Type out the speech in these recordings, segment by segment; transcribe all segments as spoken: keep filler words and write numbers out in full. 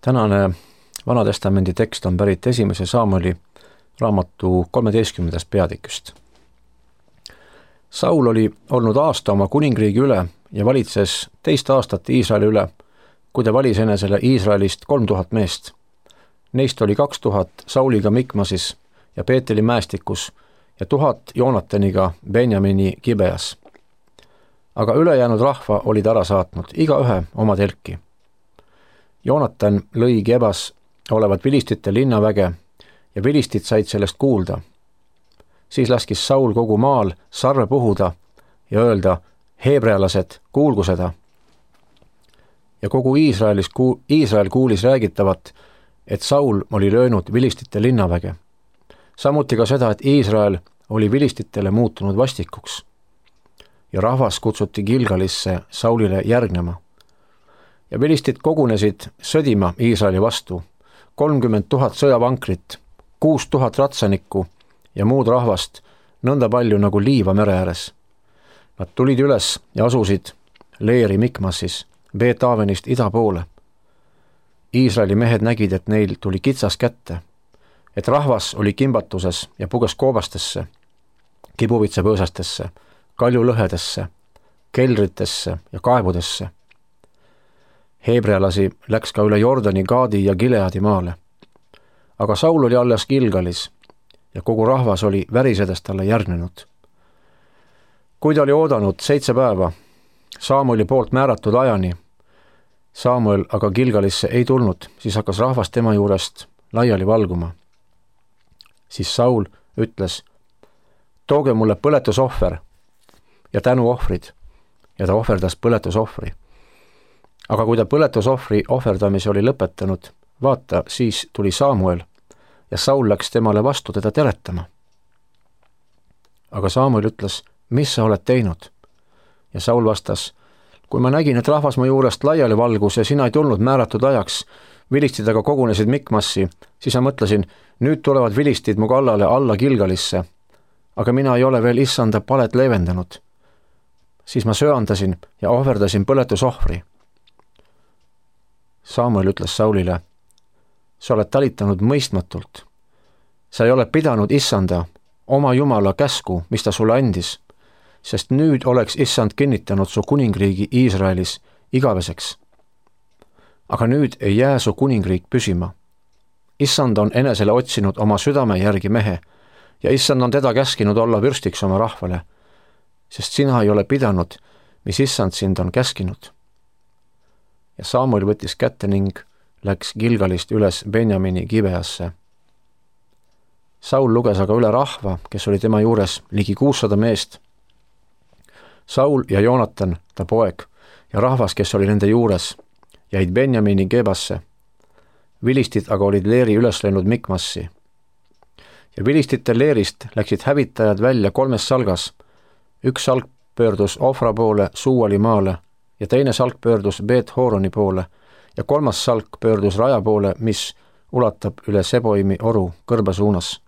Tänane Vanatestamendi tekst on pärit esimese Saamueli raamatu kolmeteistkümnendast peatükist. Saul oli olnud aasta oma kuningriigi üle ja valitses teist aastat Iisraeli üle, kui ta valis enesele Iisraelist kolm tuhat meest. Neist oli kaks tuhat Sauliga Mikmasis ja Peeteli mäestikus ja tuhat Joonataniga Benjamini Gibeas. Aga ülejäänud rahva olid ära saatnud, iga ühe oma telki. Joonatan lõi Gebas olevat vilistite linnaväge ja vilistid said sellest kuulda. Siis laskis Saul kogu maal sarve puhuda ja öelda, heebrealased, kuulgu seda. Ja kogu Iisraelis, Iisrael kuulis räägitavat, et Saul oli löönud vilistite linnaväge. Samuti ka seda, et Iisrael oli vilistitele muutunud vastikuks. Ja rahvas kutsuti Gilgalisse Saulile järgnema. Ja vilistid kogunesid sõdima Iisraeli vastu, kolmkümmend tuhat sõjavankrit, kuus tuhat ratsanikku ja muud rahvast, nõnda palju nagu liiva mere ääres. Nad tulid üles ja asusid leeri Mikmasis, Beet-Avenist ida poole. Iisraeli mehed nägid, et neil tuli kitsas kätte, et rahvas oli kimbatuses ja puges koobastesse, kibuvitsepõõsastesse, kaljulõhedesse, keldritesse ja kaevudesse. Heebrealasi läks ka üle Jordani, Gaadi ja Gileadi maale. Aga Saul oli alles Gilgalis ja kogu rahvas oli värisedes talle järgnenud. Kui ta oli oodanud seitse päeva, Saamueli poolt määratud ajani, Saamuel aga Gilgalisse ei tulnud, siis hakkas rahvas tema juurest laiali valguma. Siis Saul ütles, tooge mulle põletusohver ja tänuohvrid, ja ta ohverdas põletusohvri. Aga kui ta põletusohvri ohverdamise oli lõpetanud, vaata, siis tuli Saamuel ja Saul läks temale vastu teda teretama. Aga Saamuel ütles, mis sa oled teinud? Ja Saul vastas, kui ma nägin, et rahvas mu juurest laiali valgus ja sina ei tulnud määratud ajaks, vilistid aga kogunesid Mikmassi, siis ma mõtlesin, nüüd tulevad vilistid mu kallale alla Gilgalisse, aga mina ei ole veel issanda palet leevendanud. Siis ma söandasin ja ohverdasin põletusohvri. Saamuel ütles Saulile, sa oled talitanud mõistmatult. Sa ei ole pidanud issanda, oma Jumala käsku, mis ta sulle andis, sest nüüd oleks issand kinnitanud su kuningriigi Iisraelis igaveseks. Aga nüüd ei jää su kuningriik püsima. Issand on enesele otsinud oma südame järgi mehe ja issand on teda käskinud olla vürstiks oma rahvale, sest sina ei ole pidanud, mis issand sind on käskinud. Ja Saamuel võttis kätte ning läks Gilgalist üles Benjamini Gibeasse. Saul luges aga üle rahva, kes oli tema juures ligi kuussada meest. Saul ja Joonatan, ta poeg, ja rahvas, kes oli nende juures, jäid Benjamini Gebasse. Vilistid aga olid leeri üles läinud Mikmassi. Ja vilistite leerist läksid hävitajad välja kolmes salgas. Üks salk pöördus Ofra poole Suuali maale ja teine salk pöördus Beet-Horoni poole ja kolmas salk pöördus raja poole, mis ulatab üle Seboimi oru kõrbe suunas.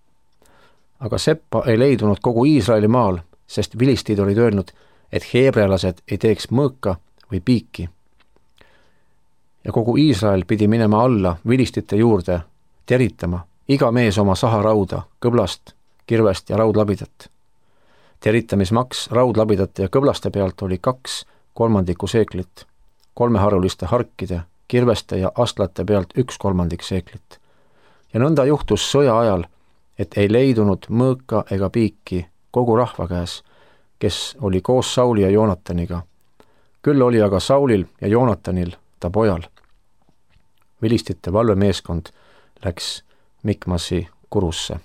Aga Seppa ei leidunud kogu Iisraeli maal, sest vilistid olid öelnud, et heebrealased ei teeks mõõka või piiki. Ja kogu Iisrael pidi minema alla vilistite juurde, teritama, iga mees oma saharauda, kõblast, kirvest ja raudlabidat. Teritamismaks raudlabidate ja kõblaste pealt oli kaks kolmandiku seeklit, kolmeharuliste harkide, kirveste ja astlate pealt üks kolmandik seeklit. Ja nõnda juhtus sõja ajal, et ei leidunud mõõka ega piiki kogu rahva käes, kes oli koos Sauli ja Joonataniga. Küll oli aga Saulil ja Joonatanil, ta pojal. Vilistite valvemeeskond läks Mikmasi kurusse.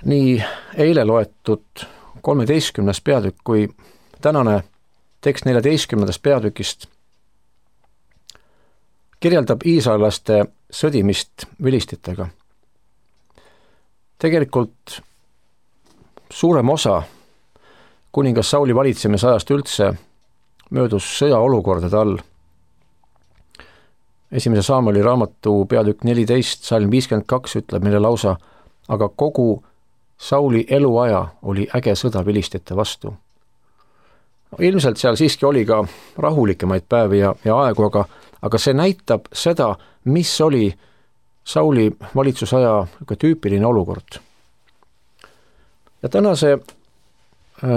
Nii eile loetud kolmeteistkümnes peatükk kui tänane tekst neljateistkümnendast peatükist kirjeldab iisraelaste sõdimist vilistitega. Tegelikult suurem osa kuningas Sauli valitsemisajast üldse möödus sõjaolukordade all. Esimese Saamueli raamatu peatükk neliteist, salm viiskümmend kaks ütleb meile lausa, aga kogu Sauli eluaja oli äge sõda vilistite vastu. No, ilmselt seal siiski oli ka rahulikemaid päevi ja, ja aegu, aga aga see näitab seda, mis oli Sauli valitsusaja tüüpiline olukord. Ja tänase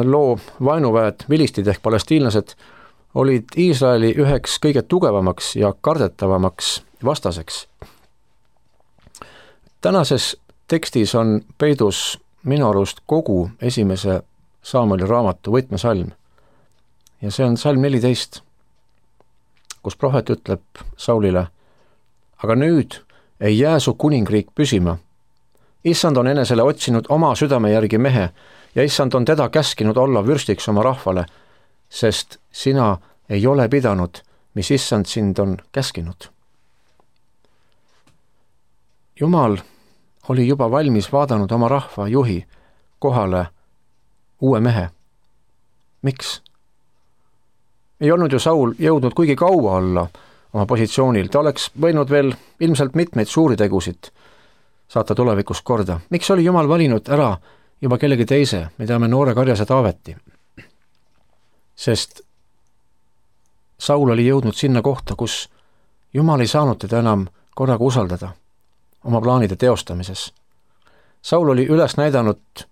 loo vaenuväed, vilistid ehk palestiinlased, olid Iisraeli üheks kõige tugevamaks ja kardetavamaks vastaseks. Tänases tekstis on peidus minu arust kogu esimese Saamueli raamatu võtmesalm. Ja see on salm neliteist, kus prohvet ütleb Saulile, aga nüüd ei jää su kuningriik püsima. Issand on enesele otsinud oma südame järgi mehe ja issand on teda käskinud olla vürstiks oma rahvale, sest sina ei ole pidanud, mis issand sind on käskinud. Jumal oli juba valmis vaadanud oma rahva juhi kohale uue mehe. Miks? Ei olnud ju Saul jõudnud kuigi kaua olla oma positsioonil, ta oleks võinud veel ilmselt mitmeid suuri tegusid saata tulevikus korda. Miks oli Jumal valinud ära juba kellegi teise, me teame noore karjase Taaveti? Sest Saul oli jõudnud sinna kohta, kus Jumal ei saanud teda enam korraga usaldada oma plaanide teostamises. Saul oli üles näidanud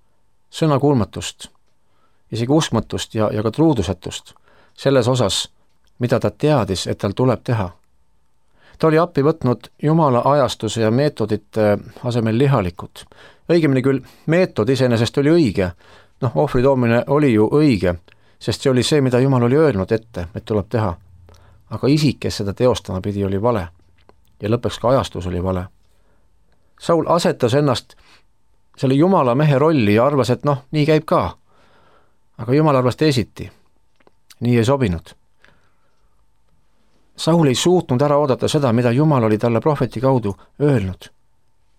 sõnakuulmatust, isegi uskmatust ja, ja ka truudusetust selles osas, mida ta teadis, et tal tuleb teha. Ta oli appi võtnud Jumala ajastuse ja meetodite asemel lihalikud. Õigemini küll, meetod iseenesest oli õige, noh, ohvri toomine oli ju õige, sest see oli see, mida Jumal oli öelnud ette, et tuleb teha. Aga isik, kes seda teostama pidi, oli vale. Ja lõpuks ka ajastus oli vale. Saul asetas ennast selle Jumala mehe rolli ja arvas, et noh, nii käib ka. Aga Jumal arvas teisiti. Nii ei sobinud. Saul ei suutnud ära oodata seda, mida Jumal oli talle prohveti kaudu öelnud,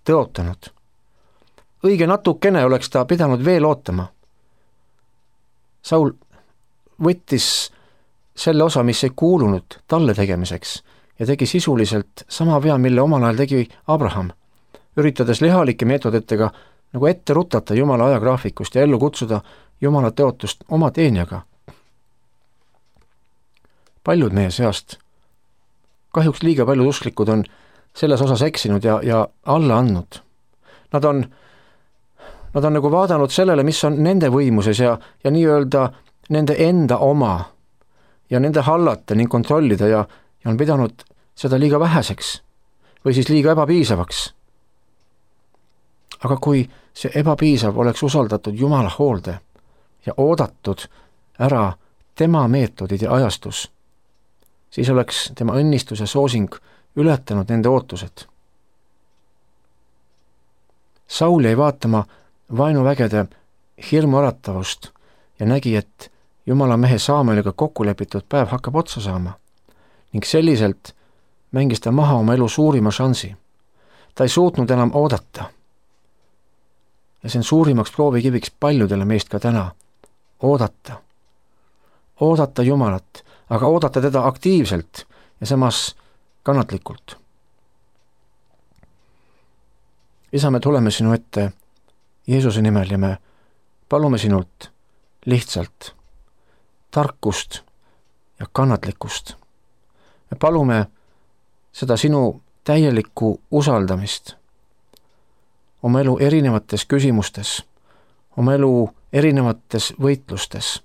tõotanud. Õige natukene oleks ta pidanud veel ootama. Saul võttis selle osa, mis ei kuulunud talle tegemiseks ja tegi sisuliselt sama vea, mille omal ajal tegi Abraham, üritades lihalike meetoditega nagu ette rutata Jumala ajagraafikust ja ellu kutsuda Jumala teotust oma teenijaga. Paljud meie seast, kahjuks liiga paljud usklikud on selles osas eksinud ja, ja alla andnud. Nad on, nad on nagu vaadanud sellele, mis on nende võimuses ja, ja nii-öelda nende enda oma ja nende hallata ning kontrollida ja, ja on pidanud seda liiga väheseks või siis liiga ebapiisavaks. Aga kui see ebapiisav oleks usaldatud Jumala hoolde ja oodatud ära tema meetodid ja ajastus, siis oleks tema õnnistus ja soosing ületanud nende ootused. Saul jäi vaatama vaenuvägede hirmuaratavust ja nägi, et Jumala mehe Saamueliga kokkulepitud päev hakkab otsa saama ning selliselt mängis ta maha oma elu suurima šansi. Ta ei suutnud enam oodata. Ja see on suurimaks proovikiviks paljudele meist ka täna. Oodata. Oodata Jumalat, aga oodata teda aktiivselt ja samas kannatlikult. Isa, me tuleme sinu ette Jeesuse nimel ja me palume sinult lihtsalt tarkust ja kannatlikkust. Me palume seda sinu täielikku usaldamist oma elu erinevates küsimustes, oma elu erinevates võitlustes.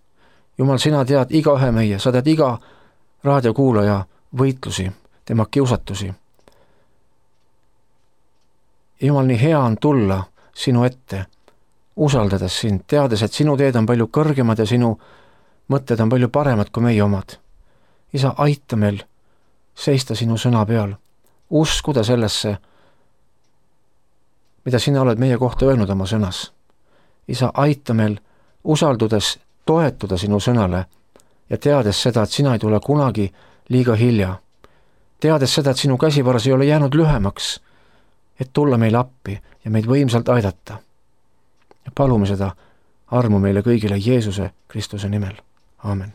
Jumal, sina tead iga ühe meie, sa tead iga raadiokuulaja võitlusi, tema kiusatusi. Jumal, nii hea on tulla sinu ette, usaldades sind, teades, et sinu teed on palju kõrgemad ja sinu mõtted on palju paremad kui meie omad. Isa, aita meil seista sinu sõna peal, uskuda sellesse, mida sina oled meie kohta öelnud oma sõnas. Isa, aita meil usaldudes toetuda sinu sõnale ja teades seda, et sina ei tule kunagi liiga hilja. Teades seda, et sinu käsivaras ei ole jäänud lühemaks, et tulla meile appi ja meid võimsalt aidata. Ja palume seda armu meile kõigile Jeesuse Kristuse nimel. Aamen.